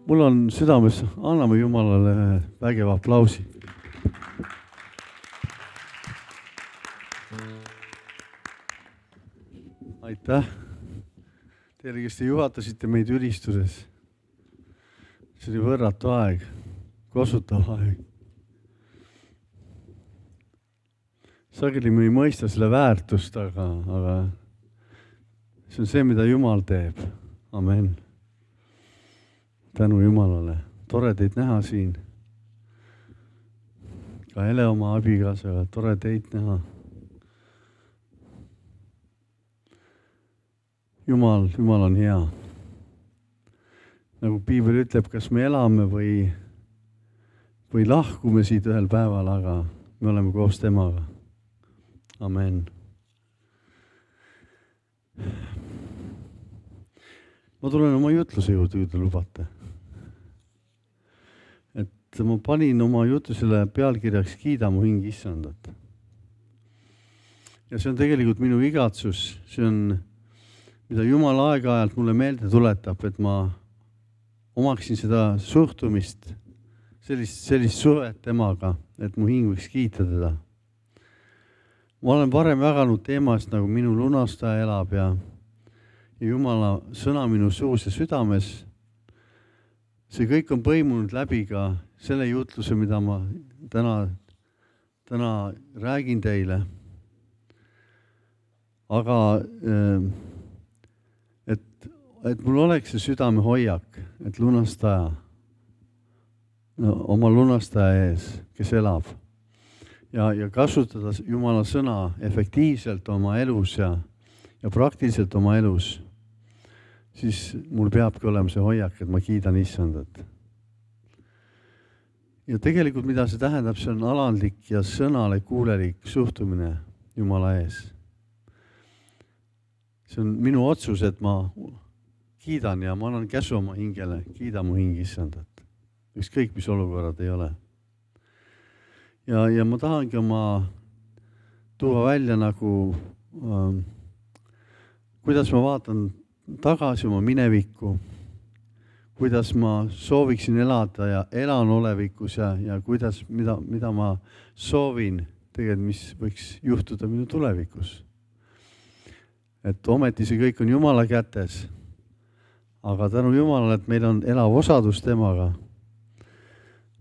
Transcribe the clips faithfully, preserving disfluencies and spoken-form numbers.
mul on südames, anname Jumalale vägeva aplausi. Aitäh teile, kes te juhatasite meid ülistuses. See oli võrratu aeg, kosutav aeg. Sageli me ei mõista selle väärtust, aga, aga see on see, mida Jumal teeb. Amen. Tänu Jumalale. Tore teid näha siin. Ka Hele oma abikaasaga, tore teid näha. Jumal, Jumal on hea. Nagu Piibel ütleb, kas me elame või, või lahkume siit ühel päeval, aga me oleme koos temaga. Amen. Ma tulen oma jutluse juurde, kui te lubate. Et ma panin oma jutlusele pealkirjaks Kiida mu hing Issandat. Ja see on tegelikult minu igatsus. See on, mida Jumal aeg-ajalt mulle meelde tuletab, et ma omaksin seda suhtumist, sellist, sellist suhet temaga, et mu hing võiks kiita teda. Ma olen varem jaganud teemast, nagu minu lunastaja elab ja, ja Jumala sõna minu suus ja südames. See kõik on põimunud läbi ka selle jutluse, mida ma täna, täna räägin teile. Aga et, et mul oleks see südame hoiak, et lunastaja, no, oma lunastaja ees, kes elab. Ja, ja kasutada Jumala sõna efektiivselt oma elus ja, ja praktiliselt oma elus, siis mul peabki olema see hoiak, et ma kiidan Issandat. Ja tegelikult, mida see tähendab, see on alandlik ja sõnale kuulelik suhtumine Jumala ees. See on minu otsus, et ma kiidan ja ma annan käsu oma hingele, kiida mu hing Issandat. Ükskõik, mis olukorrad ei ole. Ja, ja ma tahangi oma tuua välja nagu, ähm, kuidas ma vaatan tagasi oma minevikku, kuidas ma sooviksin elada ja elan olevikus ja, ja kuidas, mida, mida ma soovin tegelikult, mis võiks juhtuda minu tulevikus. Et ometi see kõik on Jumala kätes, aga tänu Jumalale, et meil on elav osadus temaga.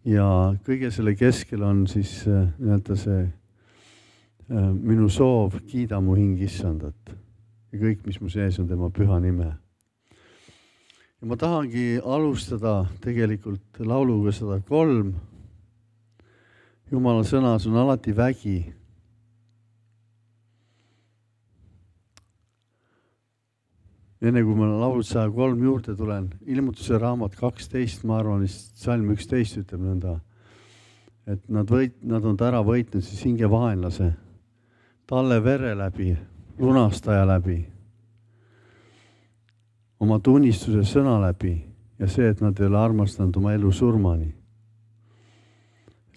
Ja kõige selle keskel on siis nii-öelda see äh, minu soov kiida mu hing Issandat. Ja kõik, mis mu sees on tema püha nime. Ja ma tahangi alustada tegelikult lauluga sada kolm. Jumala sõnas on alati vägi. Enne kui ma laulud sada kolm juurde tulen, ilmutuse raamat kaksteist, ma arvan, salm üksteist ütleb nõnda, et nad, võit, nad on ära võitnud siis hinge vaenlase, talle vere läbi, lunastaja läbi, oma tunnistuse sõna läbi ja see, et nad ei ole armastanud oma elu surmani.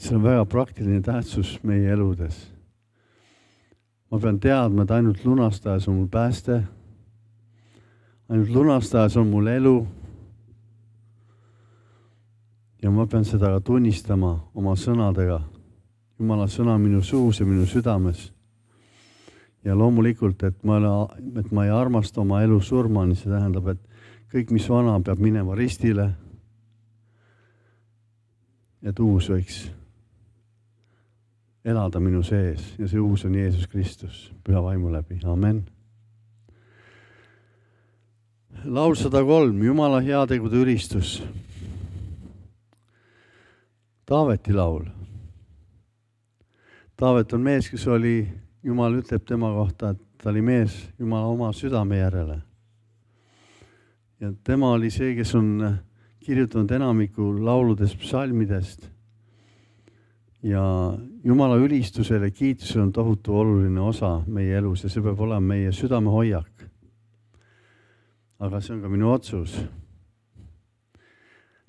See on väga praktiline tähtsus meie eludes. Ma pean teadma, et ainult lunastajas on mul pääste, ainult lunastajas on mul elu ja ma pean seda ka tunnistama oma sõnadega. Jumala sõna minu suus ja minu südames. Ja loomulikult, et ma, et ma ei armasta oma elu surmani, see tähendab, et kõik, mis vana, peab minema ristile, et uus võiks elada minu sees ja see uus on Jeesus Kristus, püha vaimu läbi. Amen. Laul sada kolm, Jumala heategude ülistus. Taaveti laul. Taavet on mees, kes oli, Jumal ütleb tema kohta, et ta oli mees Jumala oma südame järele. Ja tema oli see, kes on kirjutanud enamiku lauludest, psalmidest. Ja Jumala ülistusele ja kiitusele on tohutu oluline osa meie elus ja see peab olema meie südame hoiak. Aga see on ka minu otsus.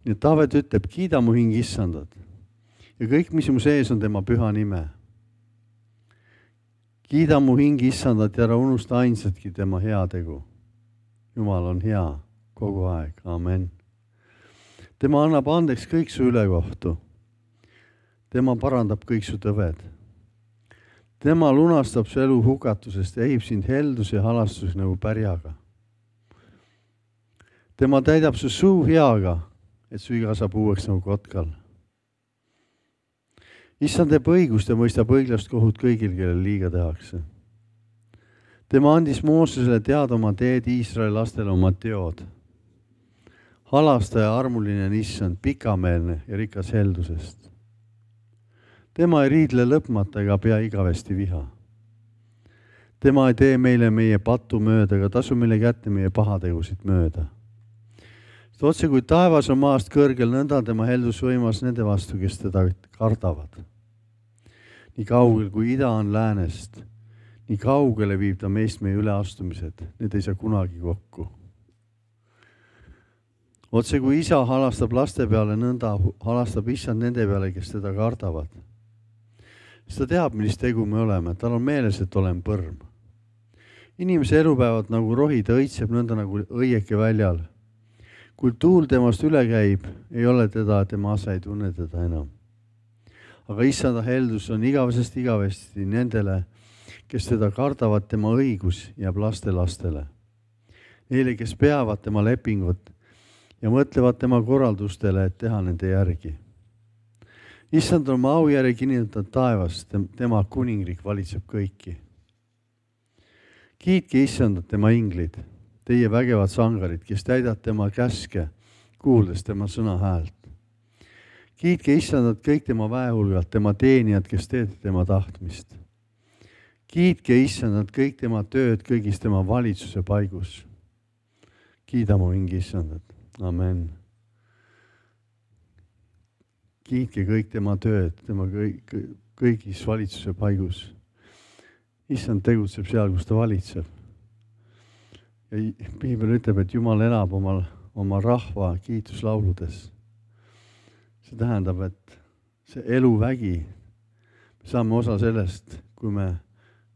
Nii et Taavet ütleb, kiida mu hing Issandat. Ja kõik, mis mu sees on tema püha nime. Kiida mu hing Issandat ja ära unusta ainsatki tema heategu. Jumal on hea kogu aeg. Amen. tema annab andeks kõik su ülekohtu. Tema parandab kõik su tõved. Tema lunastab su elu hukatusest ja ehib sind heldus ja halastus nagu pärjaga. Tema täidab su suu heaga, et su iga saab uueks nagu kotkal. Issand teeb õigust ja mõistab õiglast kohut kõigil, kellel liiga tehakse. Tema andis Moosesele teada oma teed, Iisraeli lastele oma teod. Halastaja armuline on issand, pikameelne ja rikas heldusest. Tema ei riidle lõpmata ega pea igavesti viha. Tema ei tee meile meie patu mööda ega tasu meile kätte meie pahategusid mööda. Sest otse kui taevas on maast kõrgel, nõnda tema heldus võimas nende vastu, kes teda kardavad. Nii kaugel kui ida on läänest, nii kaugele viib ta meist meie üleastumised, need ei saa kunagi kokku. Otse kui isa halastab laste peale, nõnda halastab issand nende peale, kes teda kardavad. Sest ta teab, millist tegu me oleme, tal on meeles, et olen põrm. Inimese elupäevad nagu rohi, ta õitseb nõnda nagu õieke väljal. Kui tuul temast üle käib, ei ole teda, tema asa ei tunne teda enam. Aga issanda heldus on igavesest igavesti nendele, kes teda kardavad, tema õigus jääb laste lastele. Neile, kes peavad tema lepingut ja mõtlevad tema korraldustele, et teha nende järgi. Issand on oma au järgi kinnitanud taevast, tema kuningriik valitseb kõiki. Kiitke issandat tema inglid, teie vägevad sangarid, kes täidad tema käske, kuuldes tema sõna häält. Kiitke issandat kõik tema väehulgalt, tema teenijad, kes teete tema tahtmist. Kiitke issandat kõik tema tööd kõigis tema valitsuse paigus. Kiida mu hingi issandat. Amen. Kiitke kõik tema tööd, tema kõik, kõigis valitsuse paigus. Issand tegutseb seal, kus ta valitseb. Ja Piibel ütleb, et Jumal elab oma, oma rahva kiituslauludes. See tähendab, et see eluvägi, me saame osa sellest, kui me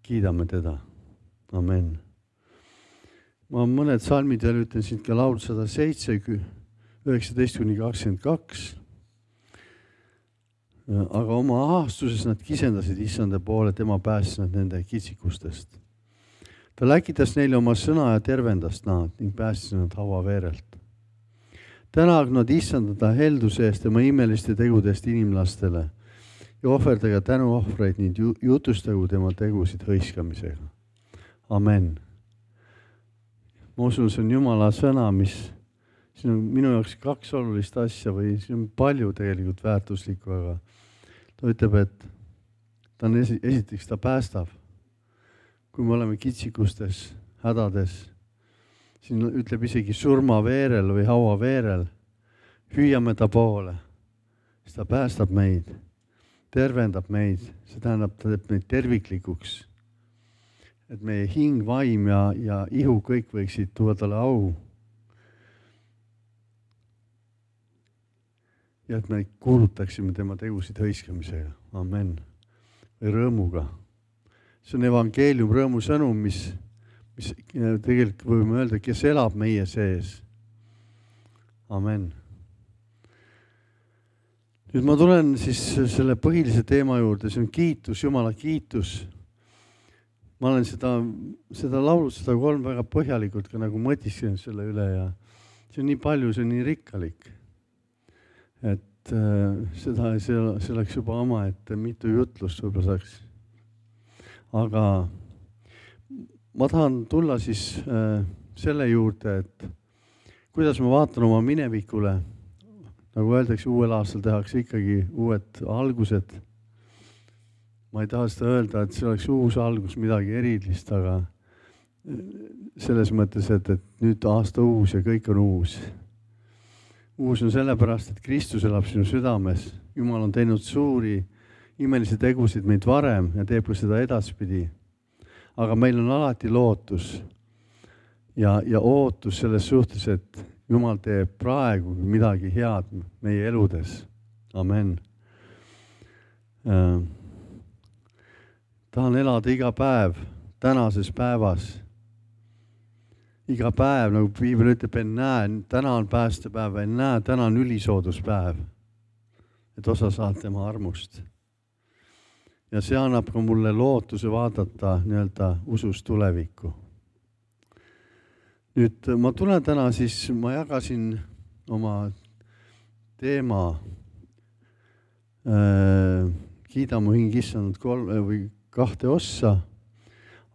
kiidame teda. Amen. Ma mõned salmid veel ütlen siin ka laul sada seitse, üheksateist kuni kakskümmend kaks. Aga oma ahastuses nad kisendasid issanda poole, tema päästis nad nende kitsikustest. Ta läkitas neile oma sõna ja tervendas nad ning päästis nad haua veerelt. Tänag nad issandada helduse eest tema imeliste tegudest inimlastele ja ohverdage tänuohvreid ning jutustagu tema tegusid hõiskamisega. Amen. Ma usun, see on Jumala sõna, mis siin on minu jaoks kaks olulist asja või siin on palju tegelikult väärtuslikku, aga ta ütleb, et ta on esi, esiteks ta päästab. Kui me oleme kitsikustes, hädades, siin ütleb isegi surma veerel või haua veerel, hüüame ta poole, siis ta päästab meid, tervendab meid, see tähendab, ta teeb meid terviklikuks, et meie hing, vaim ja, ja ihu kõik võiksid tuua talle au. Ja et me kuulutaksime tema tegusid hõiskamisega. Amen. Või rõõmuga. See on evangeelium, rõõmu sõnum, mis, mis tegelikult võime öelda, kes elab meie sees. Amen. Nüüd ma tulen siis selle põhilise teema juurde, see on kiitus, Jumala kiitus. Ma olen seda, seda laulu, seda kolm väga põhjalikult ka nagu mõtisklenud selle üle ja see on nii palju, see on nii rikkalik. Et äh, seda, see, see oleks juba oma, et mitu jutlust võib-olla saaks. Aga ma tahan tulla siis äh, selle juurde, et kuidas ma vaatan oma minevikule, nagu öeldakse, uuel aastal tehakse ikkagi uued algused. Ma ei taha seda öelda, et see oleks uus algus, midagi erilist, aga selles mõttes, et, et nüüd aasta uus ja kõik on uus. Uus on sellepärast, et Kristus elab sinu südames. Jumal on teinud suuri, imelisi tegusid meid varem ja teeb ka seda edaspidi. Aga meil on alati lootus ja, ja ootus selles suhtes, et Jumal teeb praegu midagi head meie eludes. Amen. Äh, tahan elada iga päev, tänases päevas. iga päev, nagu Piibel ütleb, ennäe, täna on päästepäev, ennäe, täna on ülisooduspäev, et osa saad tema armust. Ja see annab ka mulle lootuse vaadata nii-öelda usus tulevikku. Nüüd ma tulen täna siis, ma jagasin oma teema äh, kiida mu hing issand kolm või kahte ossa,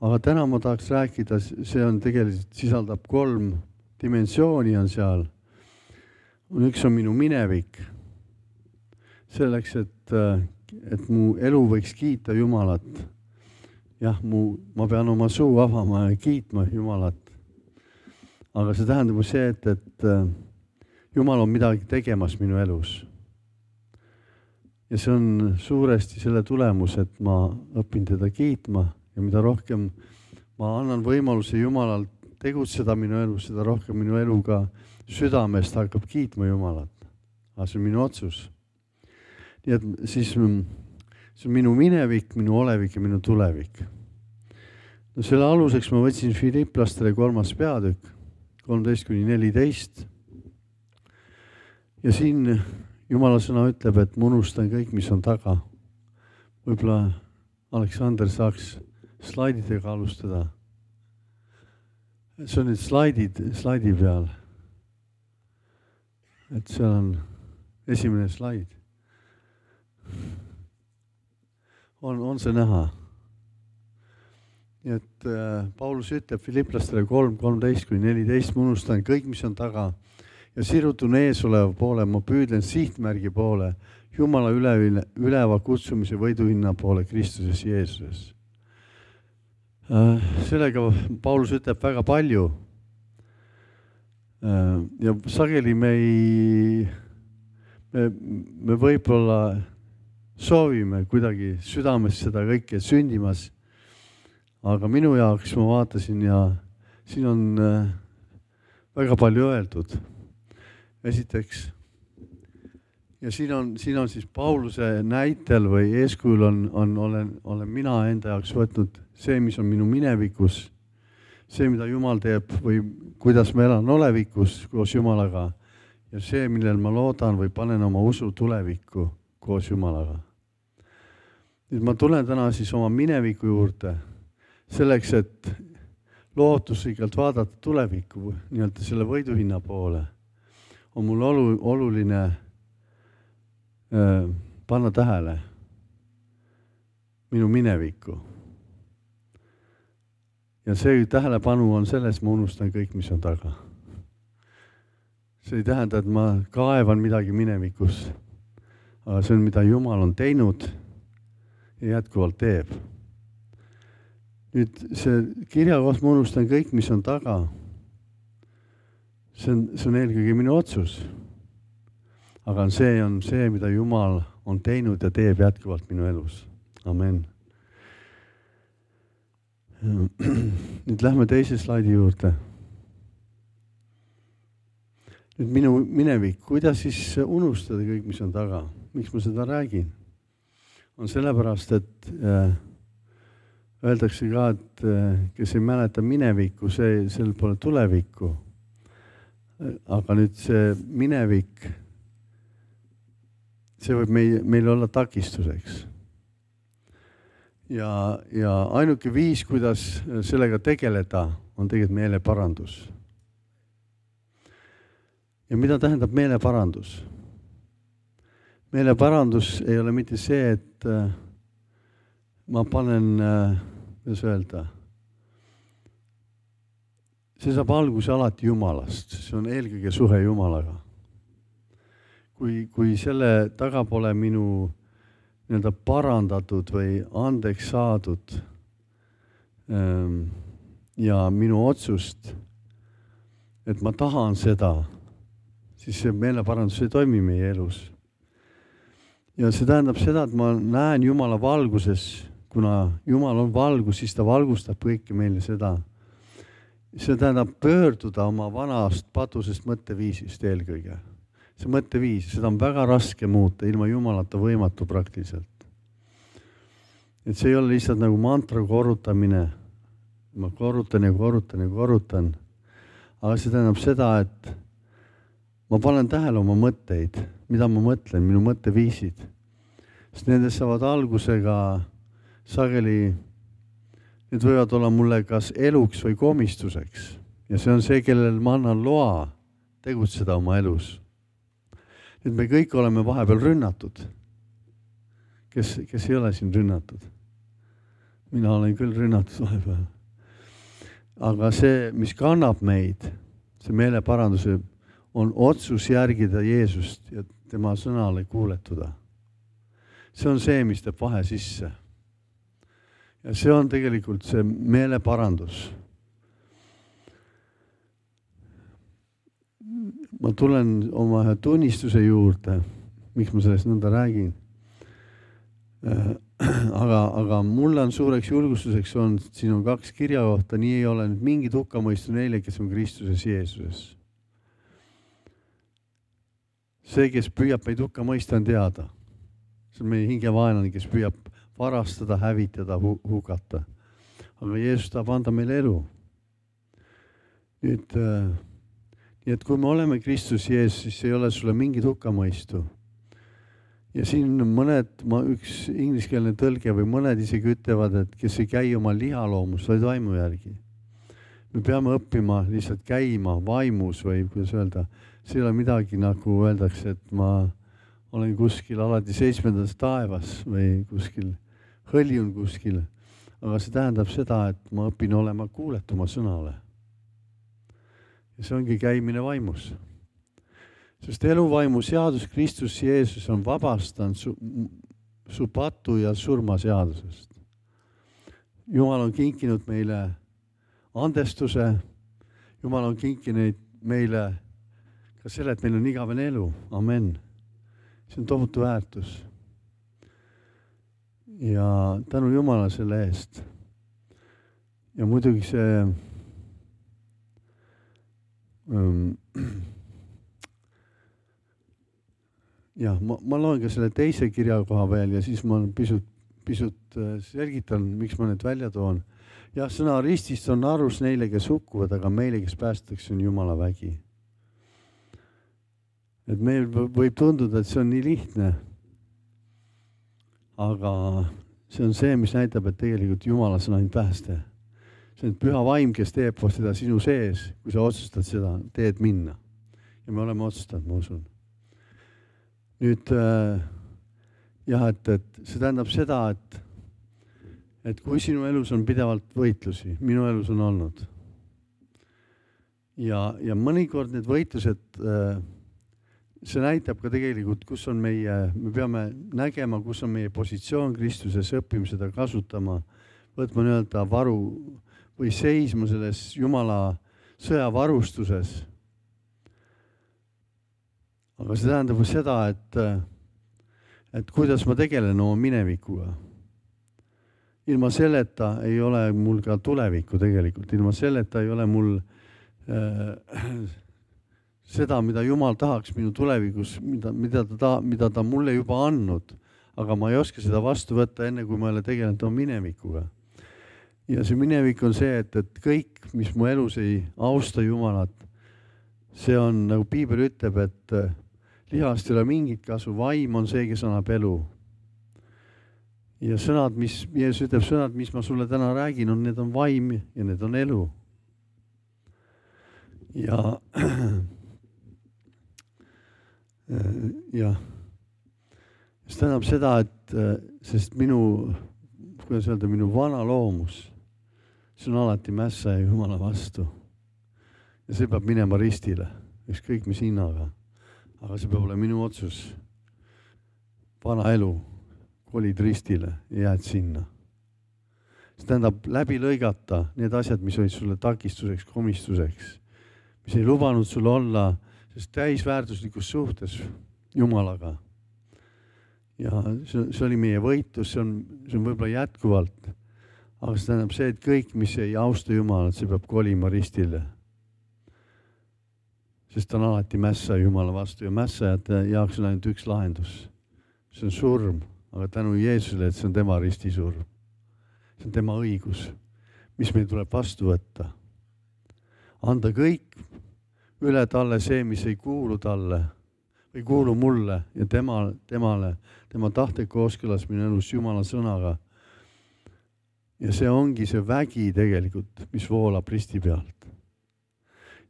aga täna ma tahaks rääkida, see on tegelikult sisaldab kolm dimensiooni on seal. Üks on minu minevik, selleks, et, et mu elu võiks kiita Jumalat. Jah, mu, ma pean oma suu avama ja kiitma Jumalat. Aga see tähendab see, et, et Jumal on midagi tegemas minu elus. Ja see on suuresti selle tulemus, et ma õpin teda kiitma ja mida rohkem ma annan võimaluse Jumalal tegutseda minu elus, seda rohkem minu eluga südamest hakkab kiitma Jumalat. Aga see on minu otsus. Nii et siis see on minu minevik, minu olevik ja minu tulevik. No selle aluseks ma võtsin Filiplastele kolmas peatükk, kolmteist kuni neliteist. Ja siin Jumala sõna ütleb, et ma unustan kõik, mis on taga. Võib-olla Aleksander saaks slaididega alustada. See on nüüd slaidid, slaidi peal. Et seal on esimene slaid. On, on see näha? Nii et äh, Paulus ütleb Filiplastele kolm, kolmteist kuni neliteist, ma unustan kõik, mis on taga. Ja sirutun ees oleva poole, ma püüdlen sihtmärgi poole, Jumala üle, üleva kutsumise võiduhinna poole Kristuses Jeesuses. Sellega Paulus ütleb väga palju. Ja sageli me ei, me, me võib-olla soovime kuidagi südames seda kõike sündimas, aga minu jaoks ma vaatasin ja siin on väga palju öeldud. Esiteks, ja siin on, siin on siis Pauluse näitel või eeskujul on, on, olen, olen mina enda jaoks võtnud see, mis on minu minevikus, see, mida Jumal teeb või kuidas ma elan olevikus koos Jumalaga ja see, millel ma loodan või panen oma usu tulevikku koos Jumalaga. Nüüd ma tulen täna siis oma mineviku juurde selleks, et lootusrikkalt vaadata tulevikku, nii-öelda selle võiduhinna poole. On mul olu, oluline äh, panna tähele minu minevikku. Ja see tähelepanu on selles, ma unustan kõik, mis on taga. See ei tähenda, et ma kaevan midagi minevikus, aga see on, mida Jumal on teinud ja jätkuvalt teeb. Nüüd see kirja koht, ma unustan kõik, mis on taga. See on, see on eelkõige minu otsus. Aga see on see, mida Jumal on teinud ja teeb jätkuvalt minu elus. Amen. Nüüd lähme teise slaidi juurde. Nüüd minu minevik, kuidas siis unustada kõik, mis on taga? Miks ma seda räägin? On sellepärast, et äh, öeldakse ka, et äh, kes ei mäleta minevikku, see, sel pole tulevikku. Aga nüüd see minevik, see võib meil, meil olla takistuseks. Ja, ja ainuke viis, kuidas sellega tegeleda, on tegelikult meeleparandus. Ja mida tähendab meeleparandus? Meeleparandus ei ole mitte see, et ma panen, kuidas öelda, see saab alguse alati Jumalast, see on eelkõige suhe Jumalaga. Kui, kui selle taga pole minu nii-öelda parandatud või andeks saadud ähm, ja minu otsust, et ma tahan seda, siis see meeleparandus ei toimi meie elus. Ja see tähendab seda, et ma näen Jumala valguses, kuna Jumal on valgus, siis ta valgustab kõike meile seda. See tähendab pöörduda oma vanast patusest mõtteviisist eelkõige. See mõtteviis, seda on väga raske muuta, ilma Jumalata võimatu praktiliselt. Et see ei ole lihtsalt nagu mantra korrutamine. Ma korrutan ja korrutan ja korrutan. aga see tähendab seda, et ma panen tähele oma mõtteid, mida ma mõtlen, minu mõtteviisid. Sest nendest saavad algusega sageli, need võivad olla mulle kas eluks või komistuseks. Ja see on see, kellel ma annan loa tegutseda oma elus. Nüüd me kõik oleme vahepeal rünnatud. Kes, kes ei ole siin rünnatud? Mina olen küll rünnatud vahepeal. Aga see, mis kannab meid, see meeleparanduse, on otsus järgida Jeesust ja tema sõnale kuuletuda. See on see, mis teeb vahe sisse. Ja see on tegelikult see meeleparandus. Ma tulen oma ühe tunnistuse juurde, miks ma sellest nõnda räägin. Aga, aga mulle on suureks julgustuseks on, siin on kaks kirja kohta, nii ei ole nüüd mingit hukkamõistu neile, kes on Kristuses Jeesuses. See, kes püüab meid hukka mõista, on teada. See on meie hingevaenlane, kes püüab varastada, hävitada, hukata. Aga Jeesus tahab anda meile elu. Nüüd, nii et kui me oleme Kristus Jeesus, siis ei ole sulle mingit hukkamõistu. Ja siin mõned, ma üks ingliskeelne tõlge või mõned isegi ütlevad, et kes ei käi oma lihaloomus, vaid vaimu järgi. Me peame õppima lihtsalt käima vaimus või kuidas öelda, see ei ole midagi nagu öeldakse, et ma olen kuskil alati seitsmendas taevas või kuskil, hõljun kuskil. Aga see tähendab seda, et ma õpin olema kuuletuma sõnale. Ja see ongi käimine vaimus. Sest eluvaimu seadus Kristus Jeesus on vabastanud su, su patu ja surma seadusest. Jumal on kinkinud meile andestuse. Jumal on kinkinud meile ka selle, et meil on igavene elu. Amen. See on tohutu väärtus. Ja tänu Jumala selle eest. Ja muidugi see um, jah, ma, ma loen ka selle teise kirja koha veel ja siis ma pisut, pisut selgitan, miks ma need välja toon. Jah, sõna ristist on arus neile, kes hukkuvad, aga meile, kes päästakse, on Jumala vägi. Et meil võib tunduda, et see on nii lihtne. Aga see on see, mis näitab, et tegelikult Jumala sõna on pääste. See on püha vaim, kes teeb seda sinu sees, kui sa otsustad seda teed minna. Ja me oleme otsustanud, ma usun. Nüüd, jah, et, et see tähendab seda, et, et kui sinu elus on pidevalt võitlusi, minu elus on olnud. Ja, ja mõnikord need võitlused, see näitab ka tegelikult, kus on meie, me peame nägema, kus on meie positsioon Kristuses, õppima seda kasutama, võtma nii-öelda varu või seisma selles Jumala sõjavarustuses. Aga see tähendab seda, et, et kuidas ma tegelen oma minevikuga. Ilma selleta ei ole mul ka tulevikku tegelikult. Ilma selleta ei ole mul äh, seda, mida Jumal tahaks minu tulevikus, mida, mida, ta, mida ta mulle juba andnud. Aga ma ei oska seda vastu võtta enne, kui ma ei ole tegelenud oma minevikuga. Ja see minevik on see, et, et kõik, mis mu elus ei austa Jumalat, see on, nagu Piibel ütleb, et lihast ei ole mingit kasu, vaim on see, kes annab elu. Ja sõnad, mis, Jeesus ütleb, sõnad, mis ma sulle täna räägin, on, need on vaim ja need on elu. Ja, ja, see tähendab seda, et sest minu, kuidas öelda, minu vana loomus, see on alati mässa ja Jumala vastu. Ja see peab minema ristile, ükskõik mis hinnaga. Aga see peab olema minu otsus. Vana elu, kolid ristile ja jääd sinna. See tähendab läbi lõigata need asjad, mis olid sulle takistuseks, komistuseks, mis ei lubanud sulle olla sest täisväärtuslikus suhtes Jumalaga. Ja see, see oli meie võitlus, see on, see on võib-olla jätkuvalt. Aga see tähendab see, et kõik, mis ei austa Jumalat, see peab kolima ristile. Sest ta on alati mässa Jumala vastu ja mässajate jaoks on ainult üks lahendus. See on surm, aga tänu Jeesusele, et see on tema ristisurm. See on tema õigus, mis meil tuleb vastu võtta. Anda kõik üle talle see, mis ei kuulu talle või kuulu mulle ja tema, temale, tema tahte kooskõlas minu elus Jumala sõnaga. Ja see ongi see vägi tegelikult, mis voolab risti pealt.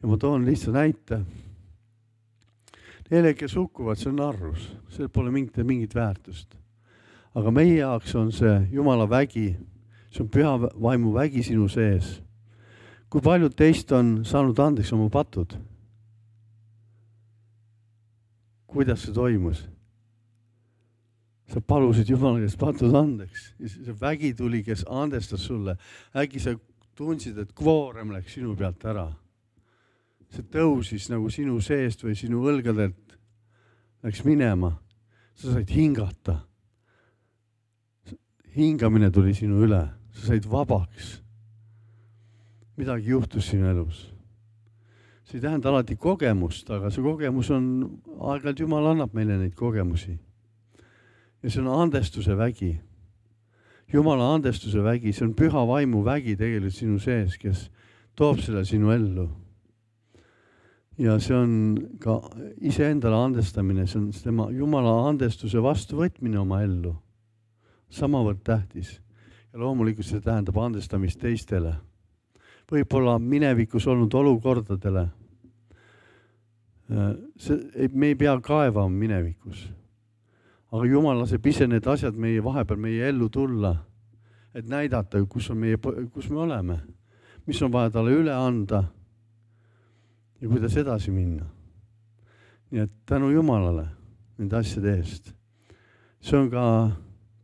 Ja ma toon lihtsalt näite. Neile, kes hukkuvad, see on narrus. See pole mingit, mingit väärtust. Aga meie jaoks on see Jumala vägi, see on püha vaimu vägi sinu sees. Kui paljud teist on saanud andeks oma patud? Kuidas see toimus? Sa palusid Jumala käest patud andeks. See vägi tuli, kes andestas sulle. Äkki sa tundsid, et kvoorem läks sinu pealt ära. See tõusis nagu sinu seest või sinu õlgadelt läks minema. Sa said hingata. Hingamine tuli sinu üle. Sa said vabaks. Midagi juhtus sinu elus. See ei tähenda alati kogemust, aga see kogemus on, aeg-ajalt Jumal annab meile neid kogemusi. Ja see on andestuse vägi. Jumala andestuse vägi, see on püha vaimu vägi tegelikult sinu sees, kes toob selle sinu ellu. Ja see on ka iseendale andestamine, see on tema Jumala andestuse vastuvõtmine oma ellu. Samavõrd tähtis. Ja loomulikult see tähendab andestamist teistele. Võib-olla minevikus olnud olukordadele. See, me ei pea kaevama minevikus. Aga Jumal laseb ise need asjad meie vahepeal meie ellu tulla, et näidata, kus, on meie, kus me oleme, mis on vaja talle üle anda ja kuidas edasi minna. Nii et tänu Jumalale nende asjade eest. See on ka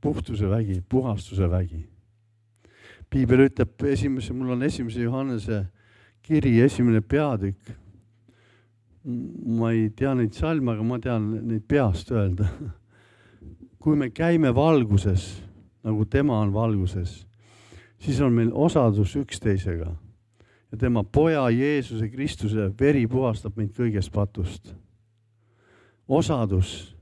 puhtuse vägi, puhastuse vägi. Piibel ütleb, esimese, mul on esimese Johannese kiri, esimene peatükk. Ma ei tea neid salme, aga ma tean neid peast öelda. Kui me käime valguses, nagu tema on valguses, siis on meil osadus üksteisega. Ja tema poja Jeesuse Kristuse veri puhastab meid kõigest patust. Osadus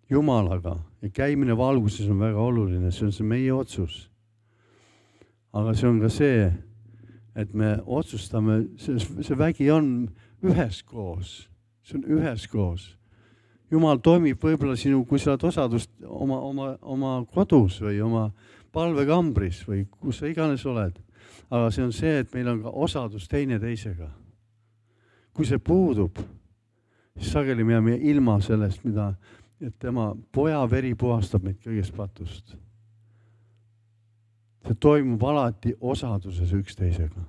Jumalaga ja käimine valguses on väga oluline, see on see meie otsus. Aga see on ka see, et me otsustame, see, see vägi on üheskoos, see on üheskoos. Jumal toimib võib-olla sinu, kui sa oled osadust oma, oma, oma kodus või oma palvekambris või kus sa iganes oled. Aga see on see, et meil on ka osadus teine teisega. Kui see puudub, siis sageli me jääme ilma sellest, mida, et tema poja veri puhastab meid kõigest patust. See toimub alati osaduses üksteisega.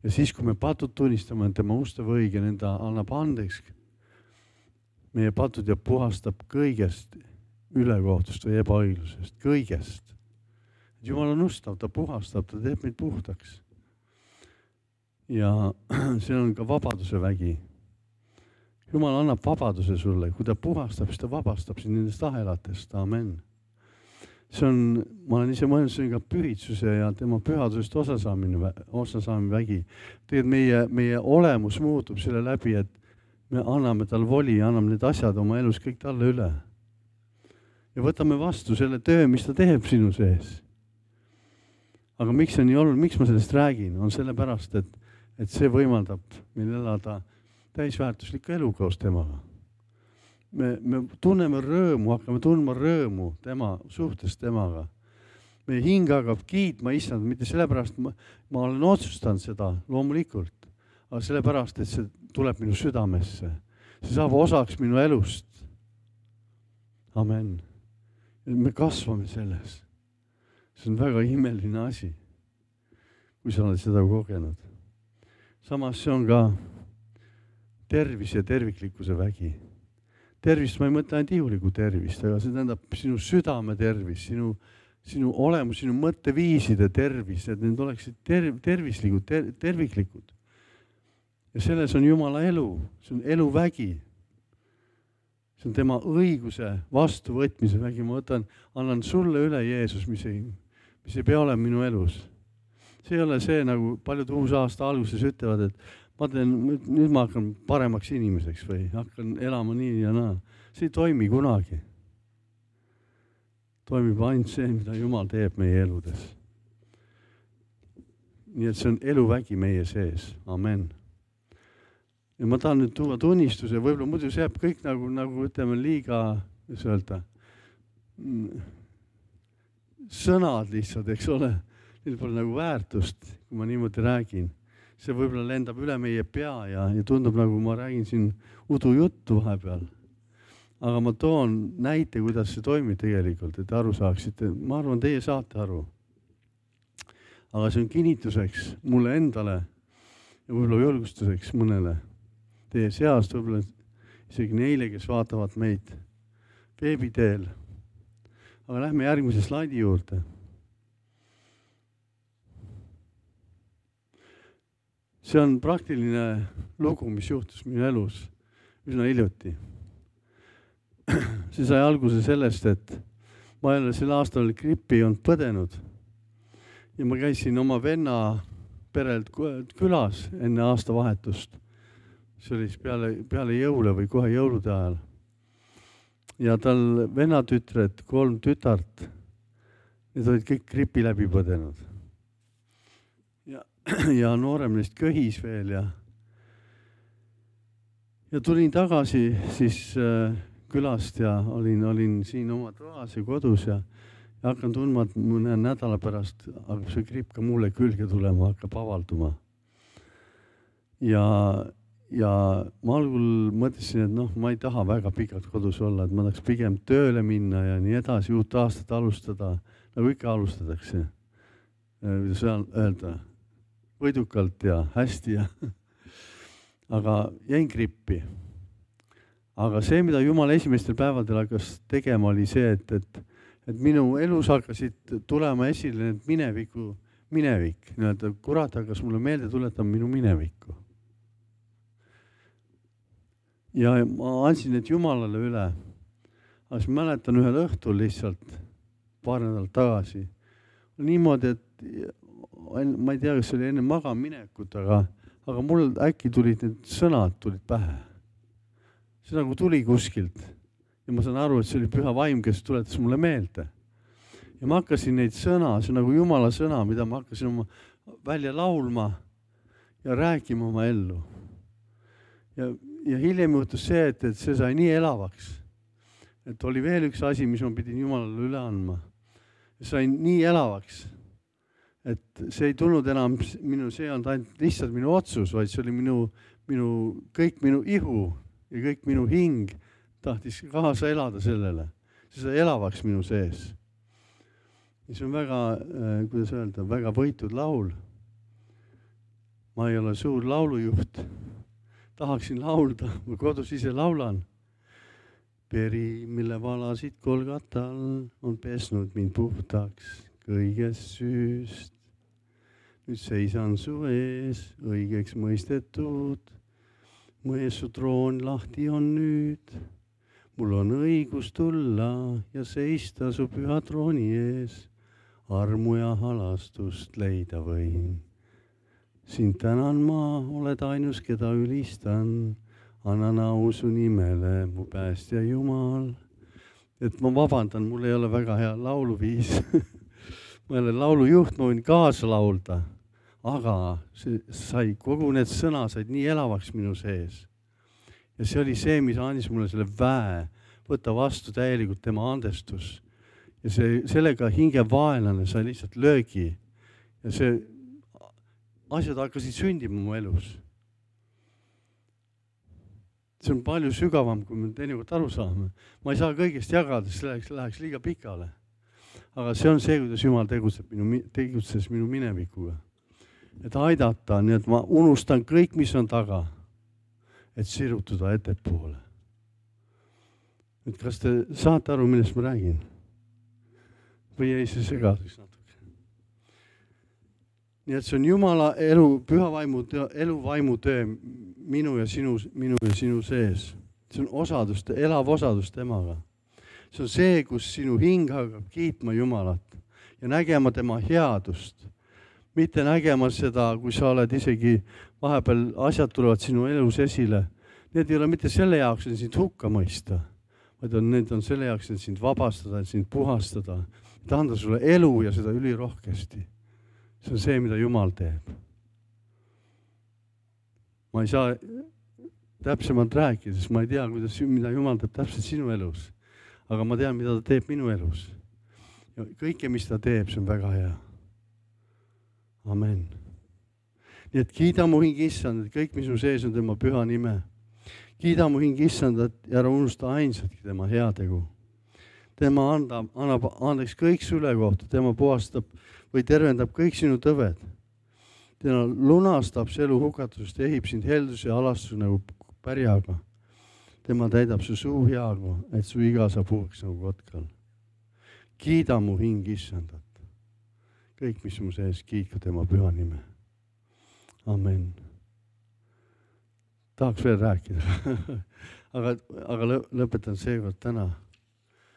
Ja siis, kui me patud tunnistame, et tema ustav õige, nenda annab andeks, meie patud ja puhastab kõigest ülekohtust või ebaõiglusest, kõigest. Jumal on ustav, ta puhastab, ta teeb meid puhtaks. Ja see on ka vabaduse vägi. Jumal annab vabaduse sulle, kui ta puhastab, siis ta vabastab sind nendest ahelatest. Amen. See on, ma olen ise mõelnud, see on ka pühitsuse ja tema pühadusest osasaamine, osasaamine vägi. Tegelikult meie, meie olemus muutub selle läbi, et me anname tal voli ja anname need asjad oma elus kõik talle üle. Ja võtame vastu selle töö, mis ta teeb sinu sees. Aga miks see nii oluline, miks ma sellest räägin, on sellepärast, et, et see võimaldab meil elada täisväärtuslikku elu koos temaga. Me, me tunneme rõõmu, hakkame tundma rõõmu tema suhtes temaga. Meie hing hakkab kiitma issand, mitte sellepärast, ma, ma olen otsustanud seda loomulikult, aga sellepärast, et see tuleb minu südamesse. See saab osaks minu elust. Amen. Me kasvame selles. See on väga imeline asi, kui sa oled seda kogenud. Samas see on ka tervis ja terviklikkuse vägi. Tervist ma ei mõtle ainult ihuliku tervist, aga see tähendab sinu südame tervis, sinu, sinu olemus, sinu mõtteviiside tervis, et need oleksid ter, tervislikud, ter, terviklikud. Ja selles on Jumala elu, see on eluvägi. See on tema õiguse vastuvõtmise vägi. Ma võtan, annan sulle üle Jeesus, mis ei, mis ei pea olema minu elus. See ei ole see, nagu paljud uus aasta alguses ütlevad, et ma teen, nüüd ma hakkan paremaks inimeseks või hakkan elama nii ja naa. See ei toimi kunagi. Toimib ainult see, mida Jumal teeb meie eludes. Nii et see on eluvägi meie sees. Amen. ja ma tahan nüüd tuua tunnistuse, võib-olla muidu see jääb kõik nagu, nagu ütleme liiga, mis öelda, sõnad lihtsalt, eks ole, neil pole nagu väärtust, kui ma niimoodi räägin. See võib-olla lendab üle meie pea ja, ja tundub nagu ma räägin siin udujuttu vahepeal. Aga ma toon näite, kuidas see toimib tegelikult, et aru saaksite. Ma arvan, teie saate aru. Aga see on kinnituseks mulle endale ja võib-olla julgustuseks mõnele teie seast, võib-olla isegi neile, kes vaatavad meid veebiteel. Aga lähme järgmise slaidi juurde. See on praktiline lugu, mis juhtus minu elus üsna hiljuti. See sai alguse sellest, et ma jälle sel aastal grippi olnud põdenud ja ma käisin oma venna perelt külas enne aastavahetust. See oli peale, peale jõule või kohe jõulude ajal. Ja tal vennatütred, kolm tütart, need olid kõik gripi läbi põdenud. Ja, ja noorem neist köhis veel ja, ja tulin tagasi siis äh, külast ja olin, olin siin oma toas ja kodus ja, ja hakkan tundma, et mõne nädala pärast hakkab see gripp ka mulle külge tulema, hakkab avalduma. Ja Ja ma algul mõtlesin, et noh, ma ei taha väga pikalt kodus olla, et ma tahaks pigem tööle minna ja nii edasi, uut aastat alustada, nagu ikka alustatakse. Kuidas öelda, võidukalt ja hästi. Ja. Aga jäin grippi. Aga see, mida Jumal esimestel päevadel hakkas tegema, oli see, et, et, et minu elus hakkasid tulema esile need mineviku, minevik. Nii-öelda kurat hakkas mulle meelde tuletama minu minevikku. Ja ma andsin need Jumalale üle. Aga siis mäletan ühel õhtul lihtsalt paar nädalat tagasi. Niimoodi, et ma ei tea, kas see oli enne magaminekut, aga, aga mul äkki tulid need sõnad tulid pähe. See nagu tuli kuskilt. Ja ma saan aru, et see oli püha vaim, kes tuletas mulle meelde. Ja ma hakkasin neid sõna, see on nagu Jumala sõna, mida ma hakkasin oma välja laulma ja rääkima oma ellu. Ja Ja hiljem juhtus see, et, et see sai nii elavaks, et oli veel üks asi, mis ma pidin Jumalale üle andma. See sai nii elavaks, et see ei tulnud enam minu, see on ainult lihtsalt minu otsus, vaid see oli minu, minu, kõik minu ihu ja kõik minu hing tahtis kaasa elada sellele. See sai elavaks minu sees. Ja see on väga, kuidas öelda, väga võitud laul. Ma ei ole suur laulujuht. Tahaksin laulda, ma kodus ise laulan. Peri, mille valasid Golgatal, on pesnud mind puhtaks kõigest süüst. Nüüd seisan su ees, õigeks mõistetud. Mu ees su troon lahti on nüüd. Mul on õigus tulla ja seista su püha trooni ees. Armu ja halastust leida võin. Sind tänan ma, oled ainus, keda ülistan, annan au su nimele, mu päästja Jumal. Et ma vabandan, mul ei ole väga hea lauluviis. Ma ei ole laulujuht, ma võin kaasa laulda, aga see sai, kogu need sõna said nii elavaks minu sees. Ja see oli see, mis andis mulle selle väe, võtta vastu täielikult tema andestus. Ja see, sellega hinge vaenlane sai lihtsalt löögi. Ja see asjad hakkasid sündima mu elus. See on palju sügavam, kui me teinekord aru saame. Ma ei saa kõigest jagada, see läheks, läheks liiga pikale. Aga see on see, kuidas Jumal tegutseb minu, tegutses minu minevikuga. Et aidata, nii et ma unustan kõik, mis on taga, et sirutuda ettepoole. Et kas te saate aru, millest ma räägin? Või ei see segadus natuke? Nii et see on Jumala elu, püha vaimu, elu vaimu töö minu ja sinu, minu ja sinu sees. See on osadus, elav osadus temaga. See on see, kus sinu hing hakkab kiitma Jumalat ja nägema tema headust. Mitte nägema seda, kui sa oled isegi vahepeal asjad tulevad sinu elus esile. Need ei ole mitte selle jaoks, et sind hukka mõista, vaid on, need on selle jaoks, et sind vabastada, et sind puhastada, et anda sulle elu ja seda ülirohkesti. See on see, mida Jumal teeb. Ma ei saa täpsemalt rääkida, sest ma ei tea, kuidas, mida Jumal teeb täpselt sinu elus. Aga ma tean, mida ta teeb minu elus. Ja kõike, mis ta teeb, see on väga hea. Amen. Nii et kiida mu hing issand, et kõik, mis mu sees on tema püha nime. Kiida mu hing issand, et ära unusta ainsatki tema heategu. Tema annab, annab andeks kõik süle kohta, tema puhastab või tervendab kõik sinu tõved. Tema lunastab elu hukatusest, ehib sind helduse ja alastus nagu pärjaga. Tema täidab su suu heagu, et su iga saab uueks nagu kotkal. Kiida mu hing issandat. Kõik, mis mu sees, kiitku tema püha nime. Amen. Tahaks veel rääkida, aga, aga lõpetan seekord täna.